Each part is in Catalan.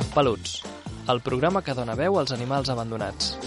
Peluts, el programa que dona veu als animals abandonats.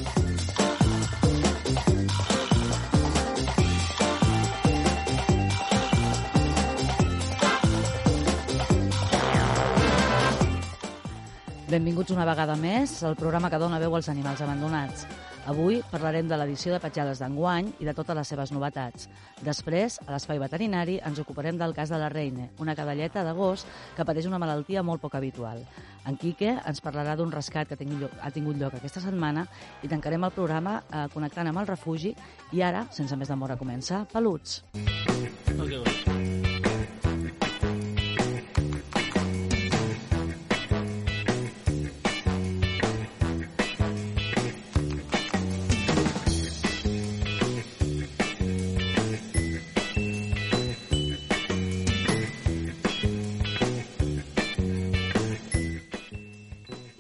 Benvinguts una vegada més al programa que dona veu als animals abandonats. Avui parlarem de l'edició de petjades d'enguany i de totes les seves novetats. Després, a l'Espai Veterinari, ens ocuparem del cas de la Reine, una cadelleta de gos que pateix una malaltia molt poc habitual. En Quique ens parlarà d'un rescat que ha tingut lloc aquesta setmana i tancarem el programa connectant amb el refugi. I ara, sense més demora, comença Peluts.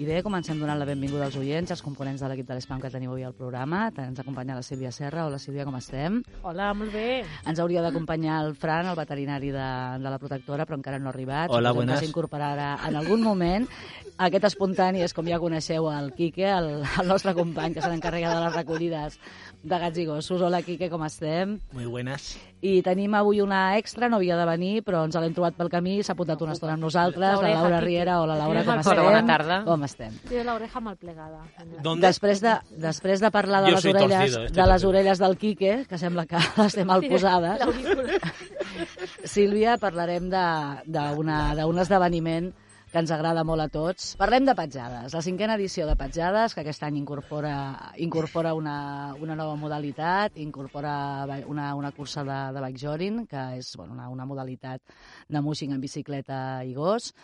I bé, comencem donant la benvinguda als oients, als components de l'equip de l'Espam que teniu avui al programa. Ens acompanya la Sílvia Serra. Hola, Sílvia, com estem? Hola, molt bé. Ens hauria d'acompanyar el Fran, el veterinari de la protectora, però encara no ha arribat. Hola, buenas. Que s'incorporarà en algun moment. Aquest espontani és, com ja coneixeu, el Quique, el nostre company, que se n'encarrega de les recollides de gats i gossos. Hola, Quique, com estem? Muy buenas. I tenim avui una extra, no havia de venir, però ens l'hem trobat pel camí, s'ha apuntat una estona amb nosaltres, la Laura Riera. Hola, Laura, com estem? Bona tarda. Com estem? Té l'oreja mal plegada. Després de parlar de les orelles del Quique, que sembla que les té mal posades, Sílvia, parlarem d'un esdeveniment que ens agrada molt a tots. Parlem de petjades. La 5a edició de petjades, que aquest any incorpora una nova modalitat, incorpora una cursa de bikejoring, que és una modalitat de mushing en bicicleta i gos.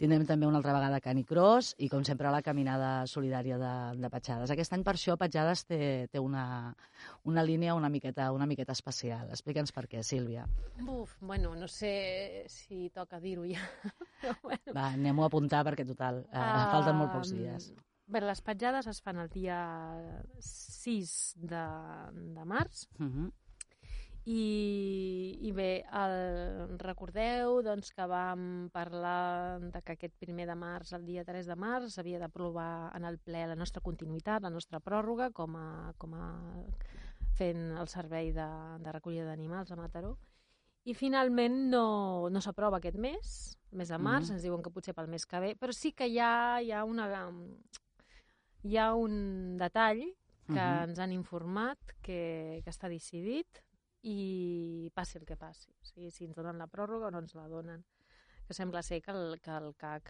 Tindrem també una altra vegada canicross i, com sempre, la caminada solidària de petjades. Aquest any, per això, petjades té una línia una miqueta especial. Explica'ns per què, Sílvia. Bueno, no sé si toca dir-ho ja. Va, anem-ho a apuntar perquè, total, falten molt pocs dies. Bé, les petjades es fan el dia 6 de març. I bé, recordeu que vam parlar que aquest 1 de març, el dia 3 de març, s'havia d'aprovar en el ple la nostra continuïtat, la nostra pròrroga, com a fent el servei de recollida d'animals a Mataró. I finalment no s'aprova aquest mes, el mes de març, ens diuen que potser pel mes que ve, però sí que hi ha un detall que ens han informat que està decidit i passi el que passi. O sigui, si ens donen la pròrroga o no ens la donen. Que sembla ser que el CAC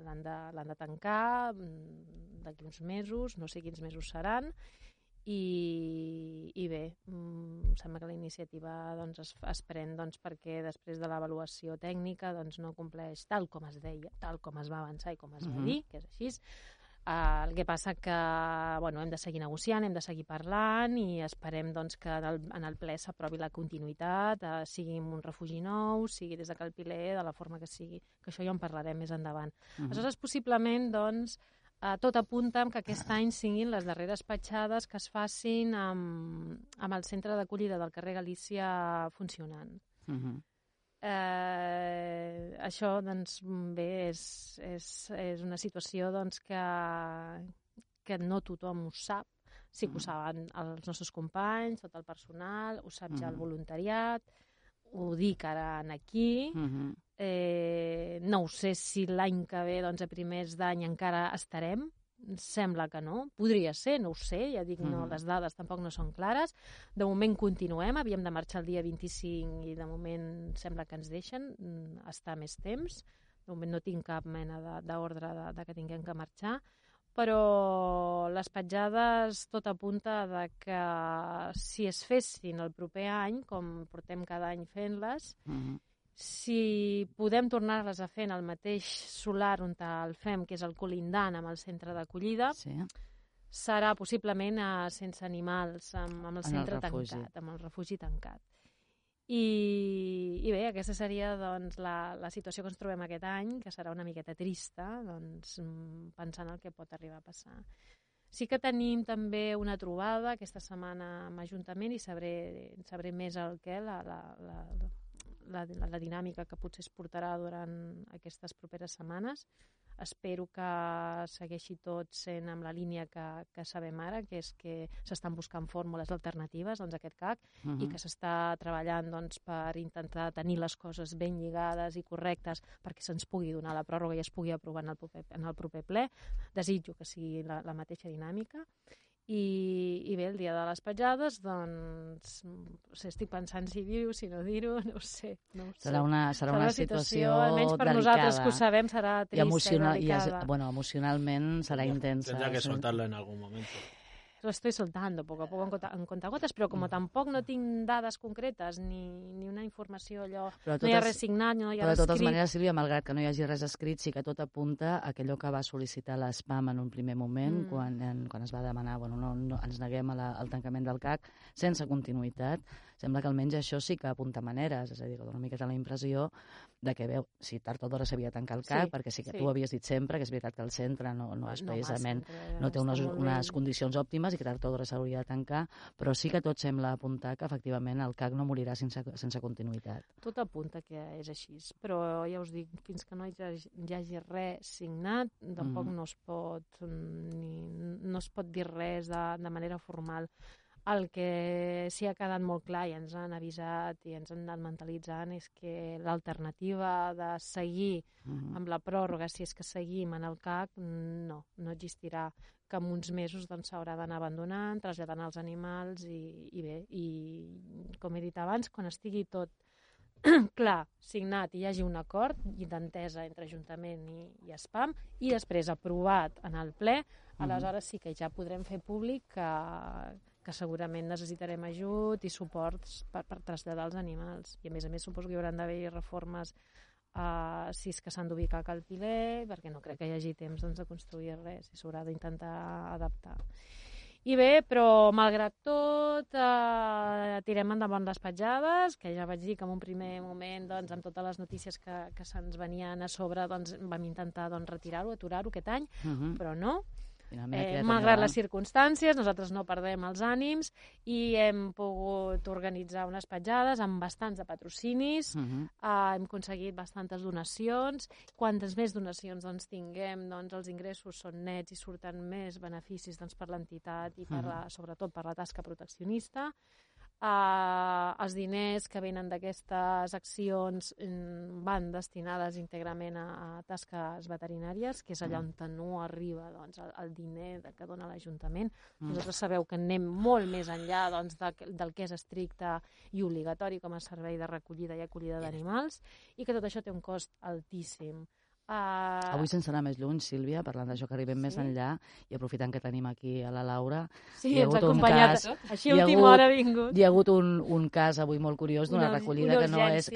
l'han de tancar d'aquí uns mesos, no sé quins mesos seran, i bé, sembla que la iniciativa es pren perquè després de l'avaluació tècnica no compleix tal com es deia, tal com es va avançar i com es va dir, que és així. El que passa que hem de seguir negociant, hem de seguir parlant i esperem que en el ple s'aprovi la continuïtat, sigui un refugi nou, sigui des de Cal Piler, de la forma que sigui, que això ja en parlarem més endavant. Aleshores, possiblement, tot apunta que aquest any siguin les darreres petjades que es facin amb el centre d'acollida del carrer Galícia funcionant. Això, bé, és una situació que no tothom ho sap. Sí que ho saben els nostres companys, tot el personal, ho sap ja el voluntariat, ho dic ara aquí. No ho sé si l'any que ve, a primers d'any, encara estarem. Sembla que no. Podria ser, no ho sé. Ja dic, les dades tampoc no són clares. De moment continuem. Havíem de marxar el dia 25 i de moment sembla que ens deixen estar més temps. De moment no tinc cap mena d'ordre que tinguem que marxar. Però les petjades tot apunta que si es fessin el proper any, com portem cada any fent-les, si podem tornar-les a fer en el mateix solar on el fem, que és el colindant amb el centre d'acollida, serà possiblement sense animals, amb el centre tancat, amb el refugi tancat. I bé, aquesta seria la situació que ens trobem aquest any, que serà una miqueta trista, pensant el que pot arribar a passar. Sí que tenim també una trobada aquesta setmana amb Ajuntament i sabré més el què, la dinàmica que potser es portarà durant aquestes properes setmanes. Espero que segueixi tot sent amb la línia que sabem ara, que és que s'estan buscant fórmules alternatives doncs, a aquest CAC i que s'està treballant doncs, per intentar tenir les coses ben lligades i correctes perquè se'ns pugui donar la pròrroga i es pugui aprovar en el proper ple. Desitjo que sigui la mateixa dinàmica. I bé, el dia de les petjades, doncs, estic pensant si dir-ho, si no dir-ho, no ho sé. Serà una situació almenys per delicada. Nosaltres que ho sabem serà trista i delicada. Emocionalment serà intensa. Tendrá que soltarlo en algún momento. Lo estoy soltando poco a poco en contagotes, però com tampoc no tinc dades concretes ni una informació allò, no hi ha res signat, no hi ha res escrit. Però de totes maneres, Sílvia, malgrat que no hi hagi res escrit, sí que tot apunta a allò que va sol·licitar l'ESPAM en un primer moment, quan es va demanar, no ens neguem al tancament del CAC, sense continuïtat. Sembla que almenys això sí que apunta maneres, és a dir, que dona una miqueta la impressió de que, si tard o d'hora s'havia de tancar el CAC, perquè sí que tu havies dit sempre que és veritat que el centre no és precisament, no té unes condicions òptimes i que tard o d'hora s'hauria de tancar, però sí que tot sembla apuntar que efectivament el CAC no morirà sense continuïtat. Tot apunta que és així, però ja us dic, fins que no hi hagi res signat, tampoc no es pot dir res de manera formal. El que sí ha quedat molt clar i ens han avisat i ens han anat mentalitzant és que l'alternativa de seguir amb la pròrroga, si és que seguim en el CAC, no existirà, que en uns mesos s'haurà d'anar abandonant, traslladant els animals i bé, i com he dit abans, quan estigui tot clar, signat i hi hagi un acord d'entesa entre Ajuntament i ESPAM i després aprovat en el ple, aleshores sí que ja podrem fer públic que segurament necessitarem ajut i suports per traslladar els animals. I a més suposo que hi haurà d'haver reformes si és que s'han d'ubicar a Cal Piler, perquè no crec que hi hagi temps de construir res i s'haurà d'intentar adaptar. I bé, però malgrat tot, tirem endavant les petjades, que ja vaig dir que en un primer moment, amb totes les notícies que se'ns venien a sobre, vam intentar retirar-ho, aturar-ho aquest any, però no. Malgrat les circumstàncies, nosaltres no perdem els ànims i hem pogut organitzar unes petjades amb bastants de patrocinis, hem aconseguit bastantes donacions. Quantes més donacions tinguem, els ingressos són nets i surten més beneficis per l'entitat i sobretot per la tasca proteccionista. Els diners que venen d'aquestes accions van destinades íntegrament a tasques veterinàries, que és allà on no arriba el diner que dona l'Ajuntament. Vosaltres sabeu que anem molt més enllà del que és estricte i obligatori com a servei de recollida i acollida d'animals i que tot això té un cost altíssim. Avui, sense anar més lluny, Sílvia, parlant d'això que arribem més enllà i aprofitant que tenim aquí a la Laura, hi ha hagut un cas, així a última hora ha vingut. Hi ha hagut un cas avui molt curiós d'una recollida que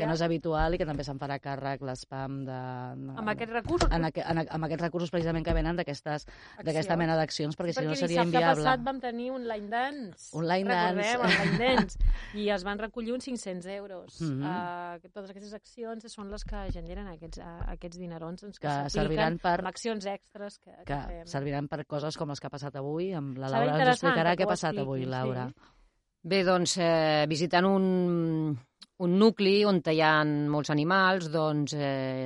no és habitual i que també se'n farà càrrec l'ESPAM amb aquests recursos? Amb aquests recursos precisament que venen d'aquesta mena d'accions, perquè si no seria inviable. Perquè dissabte passat vam tenir un line dance. Recordem, el line dance. I es van recollir uns 500 euros. Totes aquestes accions són les que generen aquests dinerons que serviran per accions extres que fem. Serviran per coses com les que ha passat avui. La Laura ens explicarà què ha passat avui, Laura. Bé, doncs, visitant un nucli on hi ha molts animals, doncs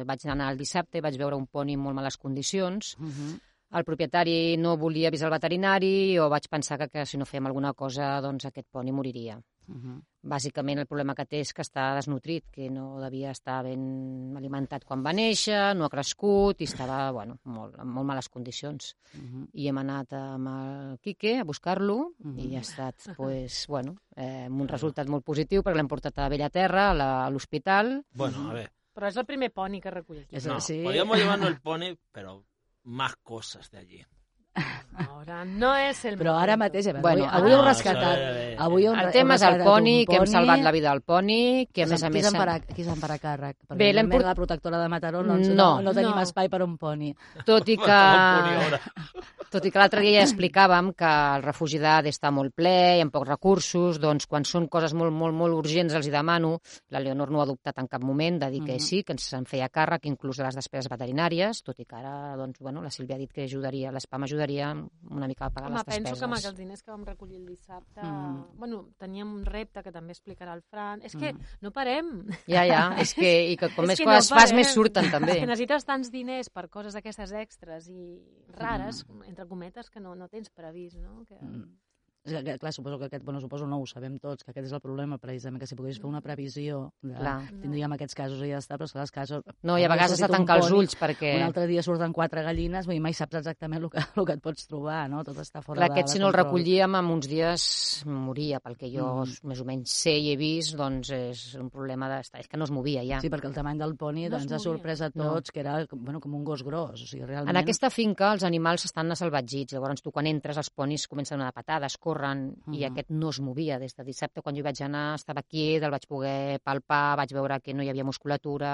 vaig anar el dissabte, vaig veure un poni en molt males condicions. El propietari no volia avisar el veterinari o vaig pensar que si no fèiem alguna cosa, doncs aquest poni moriria. Bàsicament el problema que té és que està desnutrit, que no devia estar ben alimentat quan va néixer, no ha crescut i estava en molt males condicions. I hem anat amb el Quique a buscar-lo i ha estat amb un resultat molt positiu perquè l'hem portat a Bellaterra, a l'hospital. Bueno, a ver. Però és el primer poni que recull aquí. No, podríamos llevarnos el poni, pero más cosas de allí. Ahora no és el però ara mateix, avui heu rescatat. El tema és el poni, que hem salvat la vida del poni, que a més a més... Qui se'n farà càrrec? Bé, la protectora de Mataró no tenim espai per un poni. Tot i que... Tot i que l'altre dia ja explicàvem que el refugi d'Ade està molt ple, hi ha pocs recursos, doncs quan són coses molt, molt, molt urgents els hi demano. La Leonor no ho ha adoptat en cap moment, de dir que sí, que se'n feia càrrec, inclús de les despeses veterinàries, tot i que ara, doncs, bueno, la Sílvia ha dit que ajudaria, l'ESPAM ajudaria una mica a pagar les despeses. Penso que amb els diners que vam recollir el dissabte, bueno, teníem un repte que també explicarà el Fran. És que no parem. Ja, és que com més coses fas, més surten també. És que necessites tants diners per coses d'aquestes extres i rares, entre cometes, que no tens previst, no? Que... Clar, suposo que no ho sabem tots, que aquest és el problema, precisament, que si pogués fer una previsió, tindríem aquests casos i ja està, però els casos... No, i a vegades has de tancar els ulls perquè... Un altre dia surten 4 gallines, mai saps exactament el que et pots trobar, no? Tot està fora de control. Aquest, si no el recollíem, en uns dies moria, pel que jo més o menys sé i he vist, doncs és un problema és que no es movia ja. Sí, perquè el tamany del poni ens ha sorprès a tots, que era com un gos gros, o sigui, realment... En aquesta finca els animals estan salvatgits, llavors tu quan entres els ponis comencen a donar patades, i aquest no es movia des de dissabte. Quan jo vaig anar estava quiet, el vaig poder palpar, vaig veure que no hi havia musculatura,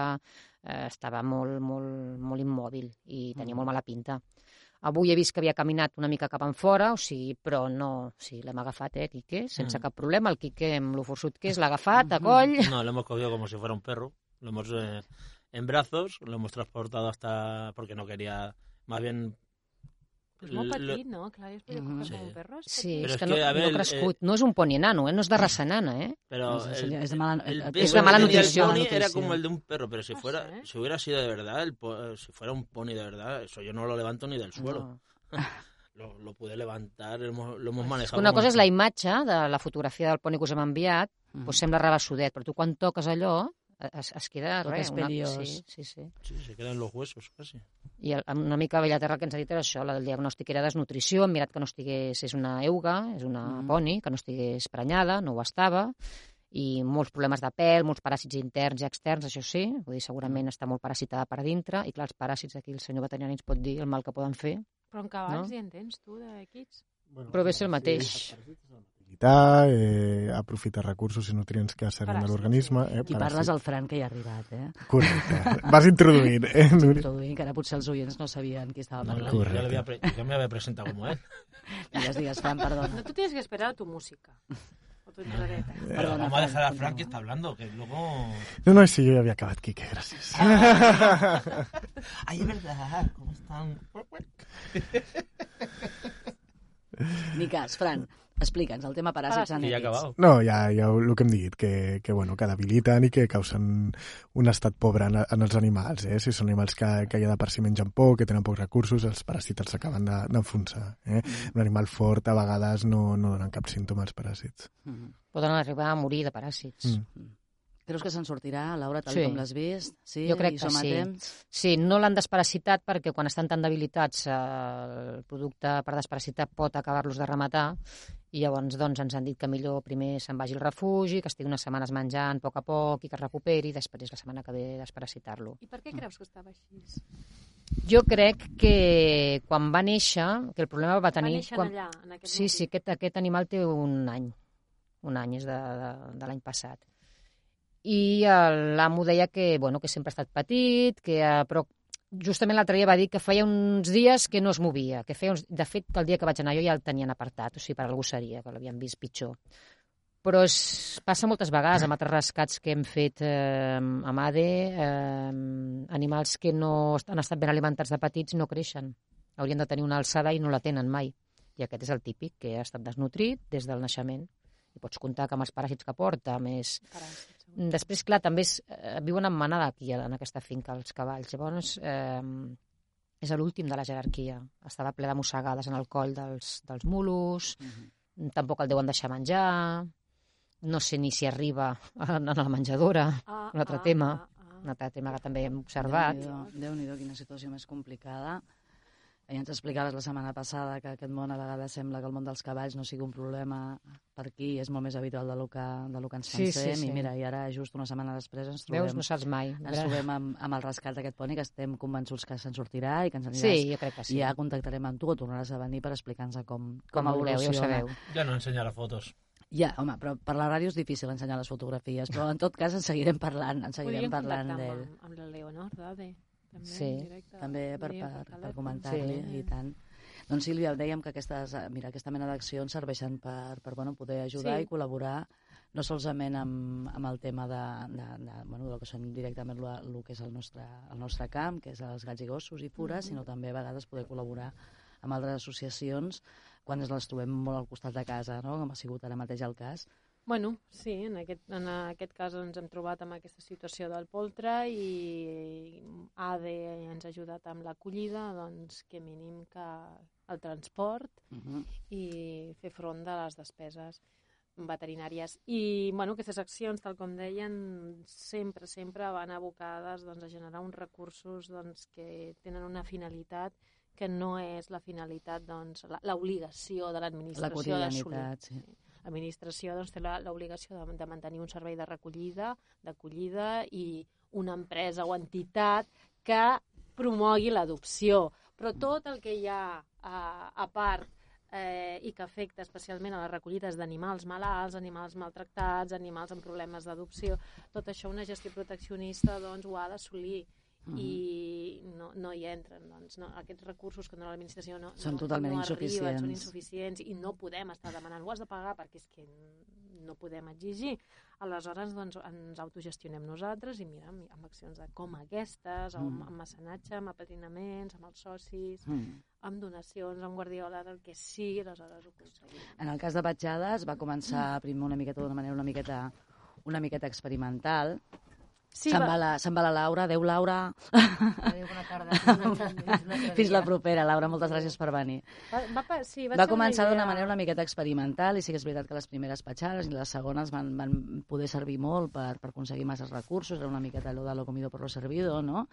estava molt, molt, molt immòbil i tenia molt mala pinta. Avui he vist que havia caminat una mica cap enfora, però no, l'hem agafat, Quique, sense cap problema. El Quique, amb lo forçut que és, l'ha agafat a coll. No, lo hemos cogido como si fuera un perro, lo hemos en brazos, lo hemos transportado hasta, porque no quería, más bien... És molt petit, no? Clar, es podria coger com un perro. Sí, és que no ha crescut. No és un poni enano, no és de raça enana, Pero es de mala nutrición. El pony era como el de un perro, pero si hubiera sido de verdad, si fuera un pony de verdad, eso yo no lo levanto ni del suelo. Lo pude levantar, lo hemos manejado. Una cosa és la imatge de la fotografia del poni que us hem enviat, doncs sembla rabassudet, però tu quan toques allò es queda res. Sí, se quedan los huesos, casi. I una mica a Bellaterra que ens ha dit era això, el diagnòstic era desnutrició, hem mirat que no estigués, és una euga, és una poni, que no estigués prenyada, no ho estava, i molts problemes de pèl, molts paràsits interns i externs, això sí, vull dir, segurament està molt parasitada per dintre, i clar, els paràsits aquí el senyor veterinari ens pot dir el mal que poden fer. Però en cavalls hi entens, tu, de kits? Però ve ser el mateix. Aprofitar recursos i nutrients que serien de l'organisme. Aquí parles al Fran, que hi ha arribat, Correcte. Vas introduint, Introduint, que ara potser els oients no sabien qui estava parlant. Yo me había presentado como él. Digues, Fran, perdona. No, tú tienes que esperar a tu música. O tu enredeta. Perdona, vamos a dejar a Fran que está hablando, que luego... No, sí, yo ya había acabado, Quique, gracias. Ay, es verdad, ¿cómo están? Ni cas, Fran, explica'ns el tema paràsits anèmics. No, ja el que hem dit, que debiliten i que causen un estat pobre en els animals. Si són animals que ja de per si mengen poc, que tenen pocs recursos, els paràsits s'acaben d'enfonsar. Un animal fort a vegades no donen cap símptoma als paràsits. Poden arribar a morir de paràsits. Creus que se'n sortirà, Laura, tal com l'has vist? Sí, jo crec que sí. Sí, no l'han desparasitat perquè quan estan tan debilitats el producte per desparasitar pot acabar-los de rematar i llavors doncs, ens han dit que millor primer se'n vagi al refugi, que estigui unes setmanes menjant a poc i que es recuperi i després la setmana que ve desparasitar-lo. I per què creus que estava així? Jo crec que quan va néixer, que el problema va tenir... Va néixer allà, en aquest moment. Sí, aquest animal té un any, és de l'any passat. I l'amo deia que sempre ha estat petit, però justament l'altre dia va dir que feia uns dies que no es movia, de fet, que el dia que vaig anar jo ja el tenien apartat, o sigui, per algú seria, que l'havien vist pitjor. Però passa moltes vegades amb altres rescats que hem fet amb ADE, animals que no han estat ben alimentats de petits no creixen, haurien de tenir una alçada i no la tenen mai. I aquest és el típic, que ha estat desnutrit des del naixement. I pots comptar que amb els paràsits que porta, més... Després, clar, també viuen en manada aquí, en aquesta finca, els cavalls. Llavors, és l'últim de la jerarquia. Estava ple de mossegades en el coll dels mulos, tampoc el deuen deixar menjar, no sé ni si arriba a la menjadora, un altre tema que també hem observat. Déu-n'hi-do, quina situació més complicada. Ja ens explicaves la setmana passada que aquest món a vegades sembla que el món dels cavalls no sigui un problema per aquí, és molt més habitual del que ens pensem. I mira, i ara just una setmana després ens trobem... Veus, no saps mai. Ens trobem amb el rescat d'aquest poni, que estem convençuts que se'n sortirà i que ens aniràs... Sí, jo crec que sí. I ja contactarem amb tu o tornaràs a venir per explicar-nos com evoluciona. Ja ho sabeu. Ja no ensenyarà fotos. Ja, home, però per la ràdio és difícil ensenyar les fotografies, però en tot cas en seguirem parlant d'ell. Amb la Leonor, d'ADE. Sí, també per comentar-li i tant. Doncs Sílvia, dèiem que aquesta mena d'accions serveixen per poder ajudar i col·laborar no solament amb el tema del que són directament el que és el nostre camp, que és els gats i gossos i fures, sinó també a vegades poder col·laborar amb altres associacions quan les trobem molt al costat de casa, no? Com ha sigut ara mateix el cas. Bueno, sí, en aquest cas ens hem trobat amb aquesta situació del poltre i ADE ens ha ajudat amb l'acollida, doncs que mínim que el transport i fer front de les despeses veterinàries. I aquestes accions, tal com deien, sempre van abocades a generar uns recursos que tenen una finalitat que no és la finalitat, l'obligació de l'administració d'assolir. Sí. L'administració té l'obligació de mantenir un servei de recollida, d'acollida i una empresa o entitat que promogui l'adopció. Però tot el que hi ha a part i que afecta especialment a les recollides d'animals malalts, animals maltractats, animals amb problemes d'adopció, tot això una gestió proteccionista ho ha d'assolir. I no hi entren. Aquests recursos que dona l'administració són totalment insuficients. Són insuficients i no podem estar demanant, ho has de pagar perquè és que no podem exigir. Aleshores ens autogestionem nosaltres i mira, amb accions com aquestes, amb mecenatge, amb apadrinaments, amb els socis, amb donacions, amb guardioles, el que sigui, aleshores ho aconseguim. En el cas de Petjades va començar primer d'una manera una miqueta experimental. Sí, se'n va la Laura. Adéu, Laura. Adéu, bona tarda. Fins la propera, Laura. Moltes gràcies per venir. Va començar d'una manera una miqueta experimental i sí que és veritat que les primeres petjades i les segones van poder servir molt per aconseguir masses recursos. Era una miqueta allò de lo comido por lo servido, no?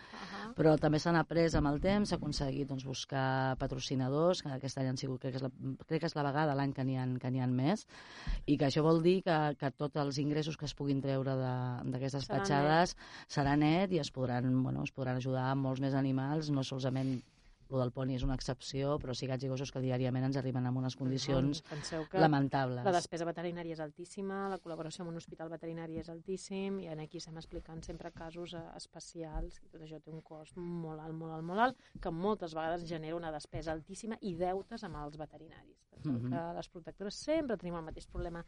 Però també s'han après amb el temps, s'ha aconseguit buscar patrocinadors, que aquest any han sigut, crec que és la vegada l'any que n'hi ha més, i que això vol dir que tots els ingressos que es puguin treure d'aquestes petjades serà net i es podran ajudar amb molts més animals, no solament el del poni és una excepció, però sí gats i gossos que diàriament ens arriben en unes condicions lamentables. La despesa veterinària és altíssima, la col·laboració amb un hospital veterinari és altíssim, i aquí estem explicant sempre casos especials, i tot això té un cost molt alt, que moltes vegades genera una despesa altíssima i deutes amb els veterinaris. Que les protectores sempre tenim el mateix problema,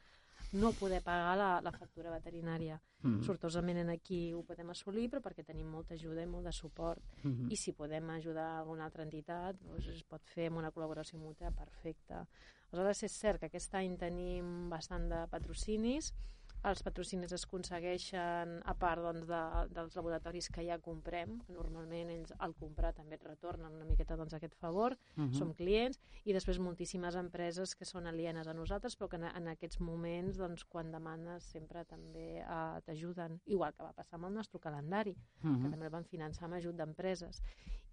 no poder pagar la factura veterinària. Sortosament aquí ho podem assolir, però perquè tenim molta ajuda i molt de suport. I si podem ajudar alguna altra entitat, es pot fer amb una col·laboració mútua perfecta. Aleshores, és cert que aquest any tenim bastant de patrocinis. Els patrocinis es aconsegueixen a part dels laboratoris que ja comprem, que normalment ells al comprar també et retornen una miqueta aquest favor, som clients, i després moltíssimes empreses que són alienes a nosaltres, però que en aquests moments, quan demanes, sempre també t'ajuden, igual que va passar amb el nostre calendari, que també el van finançar amb ajut d'empreses.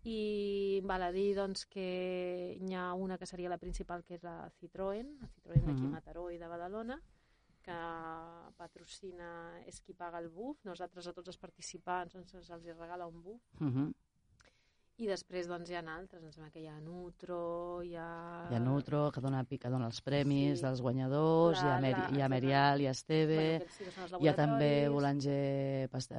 I val a dir que n'hi ha una que seria la principal, que és la Citroën d'aquí a Mataró i de Badalona, que patrocina, és qui paga el buf. Nosaltres a tots els participants els regala un buf. I després hi ha altres, em sembla que hi ha Nutro, hi ha Nutro, que dona els premis dels guanyadors, hi ha Merial, hi ha Esteve, hi ha també Boulanger, ens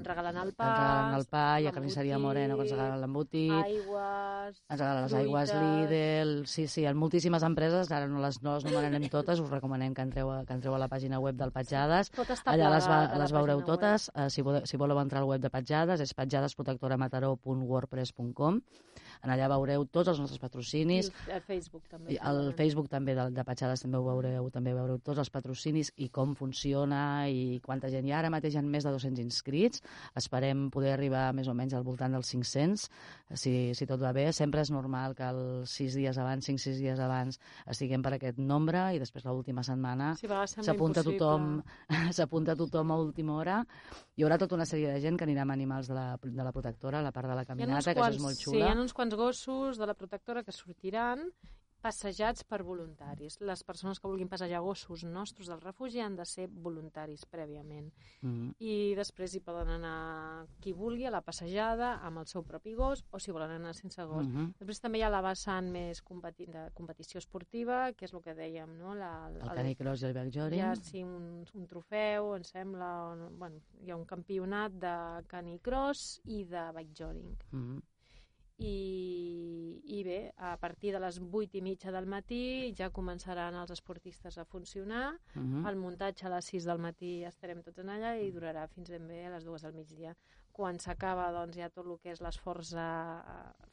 regalen el pa, hi ha Carnisseria Moreno, que ens regalen l'embotit, aigües, ens regalen les aigües Lidl, sí, hi ha moltíssimes empreses, ara no les nomenarem totes, us recomanem que entreu a la pàgina web del Petjades, allà les veureu totes, si voleu entrar al web de Petjades, és petjadesprotectoramataró.wordpress.com. En allà veureu tots els nostres patrocinis. El Facebook també. El Facebook també de Petjades també veureu tots els patrocinis i com funciona i quanta gent hi ha. Ara mateix hi ha més de 200 inscrits. Esperem poder arribar més o menys al voltant dels 500, si tot va bé. Sempre és normal que 5-6 dies abans estiguem per aquest nombre i després l'última setmana s'apunta tothom a última hora. Hi haurà tota una sèrie de gent que anirà amb animals de la protectora a la part de la caminata, que això és molt xula. Sí, hi ha uns quants gossos de la protectora que sortiran passejats per voluntaris. Les persones que vulguin passejar gossos nostres del refugi han de ser voluntaris prèviament. I després hi poden anar qui vulgui a la passejada amb el seu propi gos o si volen anar sense gos. Després també hi ha la vessant més de competició esportiva, que és el que dèiem, no? El canicross i el bikejoring. Hi ha un trofeu, em sembla, hi ha un campionat de canicross i de bikejoring. i bé, a partir de les 8:30 del matí ja començaran els esportistes a funcionar, el muntatge a les 6 del matí estarem tots en allà i durarà fins ben bé a les 2 del migdia. Quan s'acaba, doncs, hi ha tot el que és l'esforç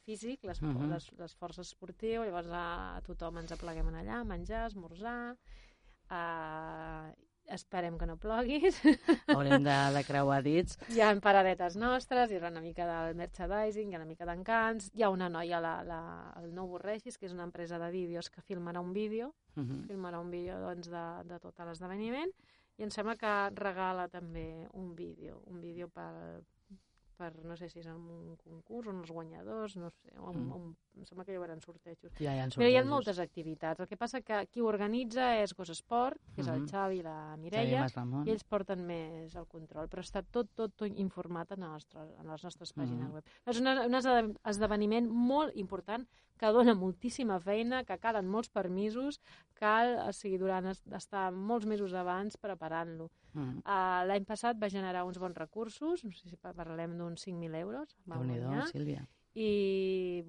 físic, l'esforç esportiu, llavors tothom ens apleguem allà, menjar, esmorzar, esperem que no ploguis. Haurem de creuar dits. Hi ha paradetes nostres, hi ha una mica del merchandising, hi ha una mica d'encants. Hi ha una noia, el No Borregis, que és una empresa de vídeos que filmarà un vídeo, doncs, de tot l'esdeveniment, i em sembla que regala també un vídeo per no sé si és en un concurs, on els guanyadors, no sé, em sembla que hi haurà sortejos. Ja hi ha sortejos. Però hi ha moltes activitats. El que passa que qui ho organitza és Gos Esport, que és el Xavi i la Mireia, i ells porten més el control, però està tot informat en les nostres pàgines web. És un esdeveniment molt important que dona moltíssima feina, que calen molts permisos, cal, estar molts mesos abans preparant-lo. L'any passat va generar uns bons recursos, no sé si parlem d'uns 5.000 euros. Déu-n'hi-do, Sílvia. I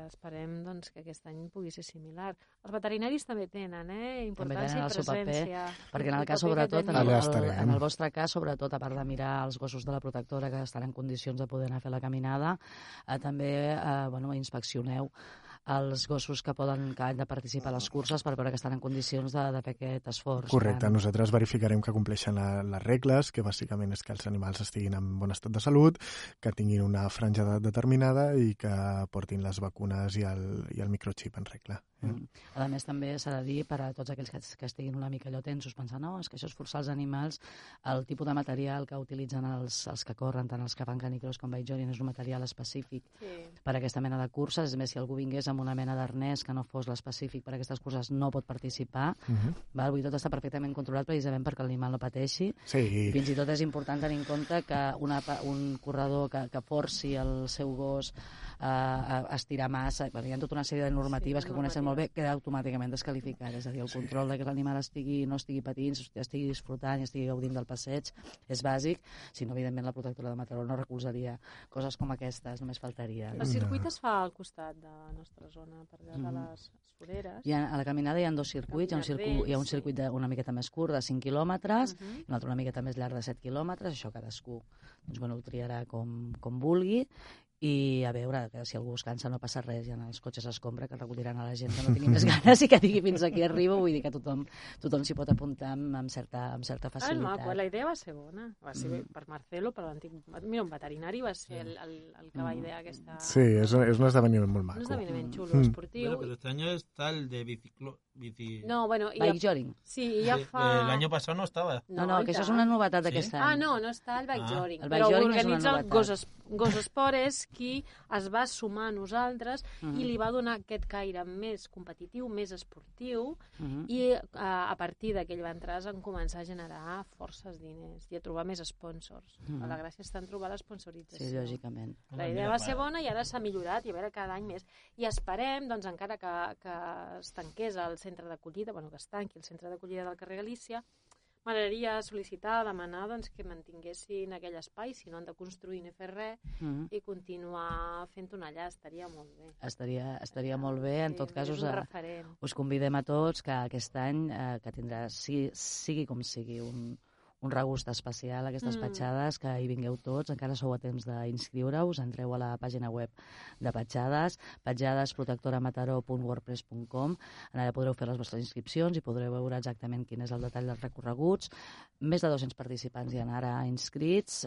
esperem doncs, que aquest any pugui ser similar. Els veterinaris també tenen importància i presència. Perquè en el cas, sobretot, en el vostre cas, sobretot, a part de mirar els gossos de la protectora que estan en condicions de poder anar a fer la caminada, també inspeccioneu els gossos que han de participar a les curses per veure que estan en condicions de fer aquest esforç. Correcte, nosaltres verificarem que compleixen les regles, que bàsicament és que els animals estiguin en bon estat de salut, que tinguin una franja d'edat determinada i que portin les vacunes i el microxip en regla. A més, també s'ha de dir per a tots aquells que estiguin una mica allò tensos, pensant, no, és que això és forçar els animals, el tipus de material que utilitzen els que corren, tant els que fan canicross com bike-jogging, és un material específic per a aquesta mena de curses. És més, si algú vingués amb una mena d'arnès que no fos l'específic per a aquestes curses, no pot participar. Vull dir, tot està perfectament controlat precisament perquè l'animal no pateixi. I fins i tot és important tenir en compte que un corredor que forci el seu gos a estirar massa, hi ha tota una sèrie de normatives que coneixen molt bé, queda automàticament desqualificat. És a dir, el control de que l'animal no estigui patint, estigui disfrutant i estigui gaudint del passeig és bàsic, si no, evidentment, la protectora de Mataró no recolzaria coses com aquestes, només faltaria. El circuit es fa al costat de la nostra zona, per allà de les foreres. A la caminada hi ha 2 circuits, hi ha un circuit una miqueta més curt, de 5 quilòmetres, i un altre una miqueta més llarg, de 7 quilòmetres. Això cadascú ho triarà com vulgui. I a veure, que si algú es cansa no passa res, i en els cotxes escombra que recolliran a la gent que no tingui més ganes i que digui fins aquí arribo. Vull dir que tothom s'hi pot apuntar amb certa facilitat. La idea va ser bona, va ser per Marcelo, per l'antic... Mira, un veterinari va ser el que va idear aquesta... Sí, és un esdeveniment molt maco. Un esdeveniment xulo, esportiu. Bueno, pero este año está el de bici... Bike-jogging. Sí, ja fa... El año pasado no estaba. No, que això és una novetat d'aquest any. No està el bike-jogging. El bike-jogging és una novetat. Però organitza Gos Esport és qui es va sumar a nosaltres i li va donar aquest caire més competitiu, més esportiu, i a partir d'aquell va entrar en començar a generar forces diners i a trobar més sponsors. La gràcia està en trobar l'esponsorització. Sí, lògicament. La idea va ser bona i ara s'ha millorat, i a veure cada any més. I esperem, doncs, encara que es tanqués el centre d'acollida, que es tanqui el centre d'acollida del carrer Galícia, m'agradaria sol·licitar, demanar que mantinguessin aquell espai, si no han de construir ni fer res, i continuar fent-ho allà, estaria molt bé. Estaria molt bé, en tot cas us convidem a tots que aquest any, que tindrà, sigui com sigui, un regust especial, aquestes petjades, que hi vingueu tots, encara sou a temps d'inscriure-us, entreu a la pàgina web de petjades, petjadesprotectoramataró.wordpress.com, allà podreu fer les vostres inscripcions i podreu veure exactament quin és el detall dels recorreguts. Més de 200 participants hi ha ara inscrits,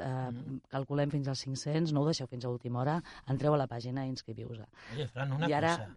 calculem fins als 500, no ho deixeu fins a última hora, entreu a la pàgina i inscriviu-vos. Oye, Fran, una cosa.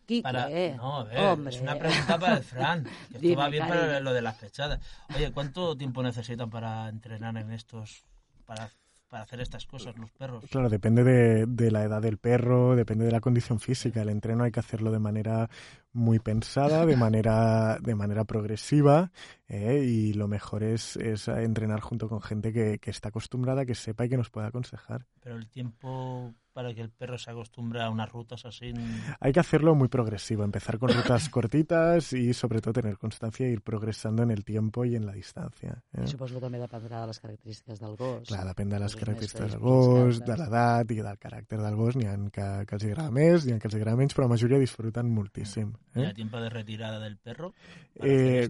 No, a ver, hombre. Es una pregunta para el Fran, que esto va bien para lo de las pechadas. Oye, ¿cuánto tiempo necesitan para entrenar en estos, para hacer estas cosas los perros? Claro, depende de la edad del perro, depende de la condición física. El entreno hay que hacerlo de manera muy pensada, de manera progresiva, y lo mejor es entrenar junto con gente que está acostumbrada, que sepa y que nos pueda aconsejar. Pero el tiempo para que el perro se acostumbre a unas rutas así? Hay que hacerlo muy progresivo, empezar con rutas cortitas y sobre todo tener constancia e ir progresando en el tiempo y en la distancia. Suposo que també dependrà de les característiques del gos. Clar, depèn de les característiques del gos, de l'edat i del caràcter del gos. N'hi ha que els agrada més, n'hi ha que els agrada menys, però la majoria disfruten muchísimo. ¿Y el tiempo de retirada del perro?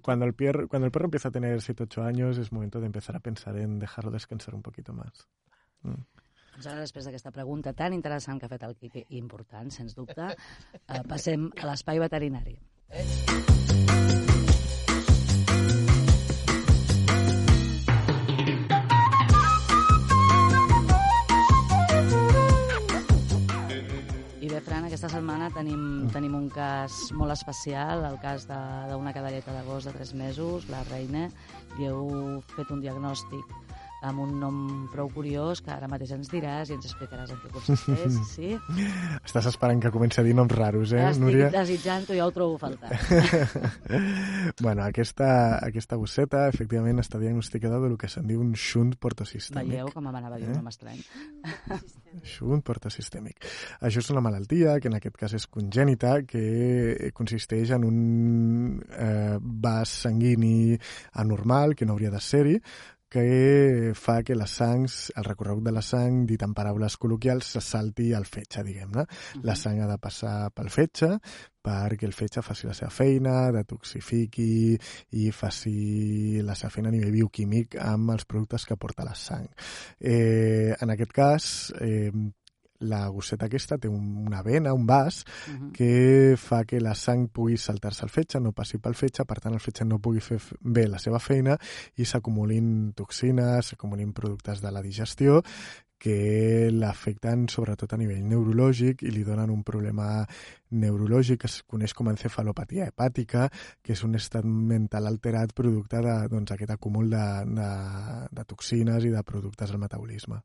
Cuando el perro empieza a tener 7-8 años es momento de empezar a pensar en dejarlo descansar un poquito más. Doncs ara, després d'aquesta pregunta tan interessant que ha fet el Quique, i important, sens dubte, passem a l'espai veterinari. I bé, Fran, aquesta setmana tenim un cas molt especial, el cas d'una cadelleta de gos de 3 mesos, la Reina. Li heu fet un diagnòstic amb un nom prou curiós que ara mateix ens diràs i ens explicaràs en què consisteix, sí? Estàs esperant que comenci a dir noms raros, Núria? Estic desitjant-ho, ja ho trobo faltant. Bueno, aquesta gosseta, efectivament, està diagnosticada del que se'n diu un shunt portosistèmic. Veieu com m'anava a dir un nom estrany? Shunt portosistèmic. Això és una malaltia que en aquest cas és congènita, que consisteix en un vas sanguini anormal, que no hauria de ser-hi, que fa que el recorregut de la sang, dit en paraules col·loquials, se salti al fetge, diguem-ne. La sang ha de passar pel fetge perquè el fetge faci la seva feina, detoxifiqui i faci la seva feina a nivell bioquímic amb els productes que aporta la sang. En aquest cas, la gosseta aquesta té una vena, un vas, que fa que la sang pugui saltar-se al fetge, no passi pel fetge, per tant el fetge no pugui fer bé la seva feina i s'acumulin toxines, s'acumulin productes de la digestió que l'afecten sobretot a nivell neurològic i li donen un problema neurològic que es coneix com a encefalopatia hepàtica, que és un estat mental alterat producte d'aquest acúmul de toxines i de productes al metabolisme.